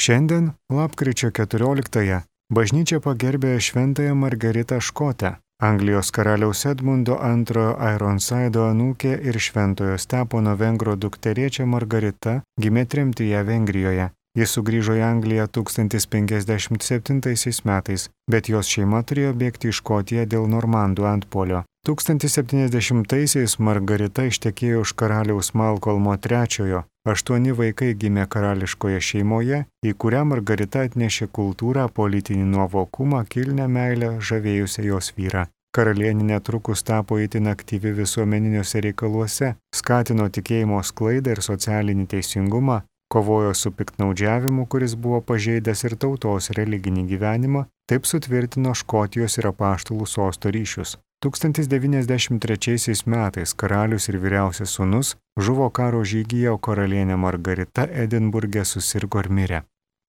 Šiandien, lapkričio 14-ąją, bažnyčia pagerbė šventąją Margaritą Škotę, Anglijos karaliaus Edmundo II Ironsido anūkė ir šventojo Stepono Vengro dukterėčia Margarita gimė tremtyje Vengrijoje. Jis sugrįžo į Angliją 1057 metais, bet jos šeima turėjo bėgti į Škotiją dėl normandų antpuolio. 1070-aisiais Margarita ištekėjo už karaliaus Malkolmo III. 8 vaikai gimė karališkoje šeimoje, į kurią Margarita atnešė kultūrą, politinį nuovokumą, kilnią meilę, žavėjusią jos vyrą. Karalienė netrukus tapo itin aktyvi visuomeniniuose reikaluose, skatino tikėjimo sklaidą ir socialinį teisingumą, kovojo su piktnaudžiavimu, kuris buvo pažeidęs ir tautos religinį gyvenimą, taip sutvirtino Škotijos ir apaštalų sosto ryšius. 1093 metais karalius ir vyriausias sūnus žuvo karo žygyje, o karalienė Margarita Edinburge susirgo ir mirė.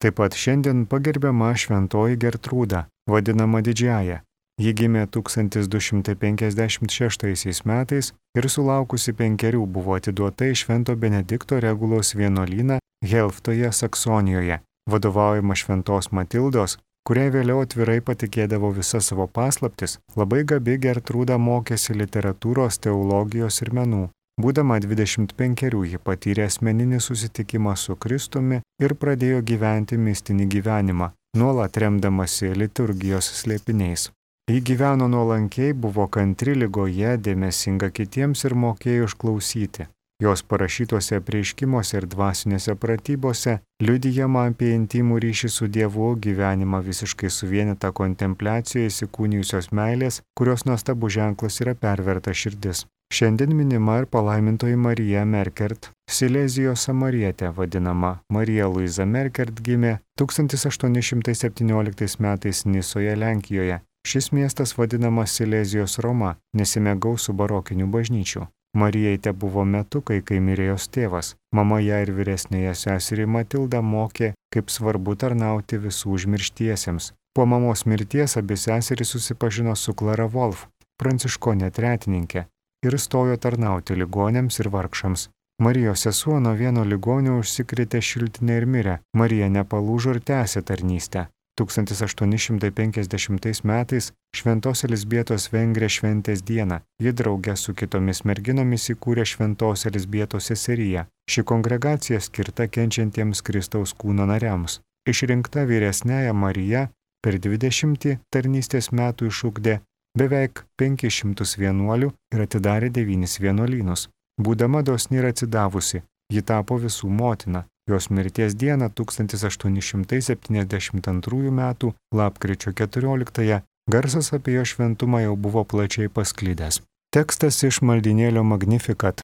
Taip pat šiandien pagerbiama šventoji Gertrūda, vadinama Didžiąja. Ji gimė 1256 metais ir sulaukusi 5 buvo atiduota į Švento Benedikto Regulos vienuolyną Helftoje, Saksonijoje, vadovaujama šventos Matildos, kuriai vėliau atvirai patikėdavo visas savo paslaptis. Labai gabi Gertrūda mokėsi literatūros, teologijos ir menų. Būdama 25 ji patyrė asmeninį susitikimą su Kristumi ir pradėjo gyventi mistinį gyvenimą, nuolat remdamasi liturgijos slėpiniais. Ji gyveno nuolankiai, buvo kantri ligoje, dėmesinga kitiems ir mokėjo išklausyti. Jos parašytuose apreiškimuose ir dvasinėse pratybose liudijama apie intimų ryšį su Dievu, gyvenimą visiškai suvienytą kontempliacijoje įsikūnijusios meilės, kurios nuostabų ženklas yra perverta širdis. Šiandien minima ir palaimintoji Marija Merkert, Silezijos samarietė, vadinama Marija Luiza Merkert, gimė 1817 metais Nisoje, Lenkijoje. Šis miestas vadinamas Silezijos Roma, nesime gausų barokinių bažnyčių. Marijai te buvo metukai, kai mirė jos tėvas. Mama ją ir vyresnėje seserį Matildą mokė, kaip svarbu tarnauti visų užmirštiesiems. Po mamos mirties abi seserys susipažino su Klara Wolf, pranciškonė tretininkė, ir stojo tarnauti ligonėms ir vargšams. Marijos sesuo nuo vieno ligonio užsikrėtė šiltinę ir mirė. Marija nepalūžo ir tęsė tarnystę. 1850 metais Šventos Elizbietos Vengrė šventės dieną. Ji drauge su kitomis merginomis įkūrė Šventos Elizbietos seseriją. Ši kongregacija skirta kenčiantiems Kristaus kūno nariams. Išrinkta vyresnėja Marija per 20 tarnystės metų išugdė beveik 500 vienuolių ir atidarė 9 vienuolynus. Būdama dosni ir atsidavusi, ji tapo visų motina. Jos mirties dieną 1872 metų lapkričio 14-ąją garsas apie jo šventumą jau buvo plačiai pasklidęs. Tekstas iš maldynėlio Magnificat,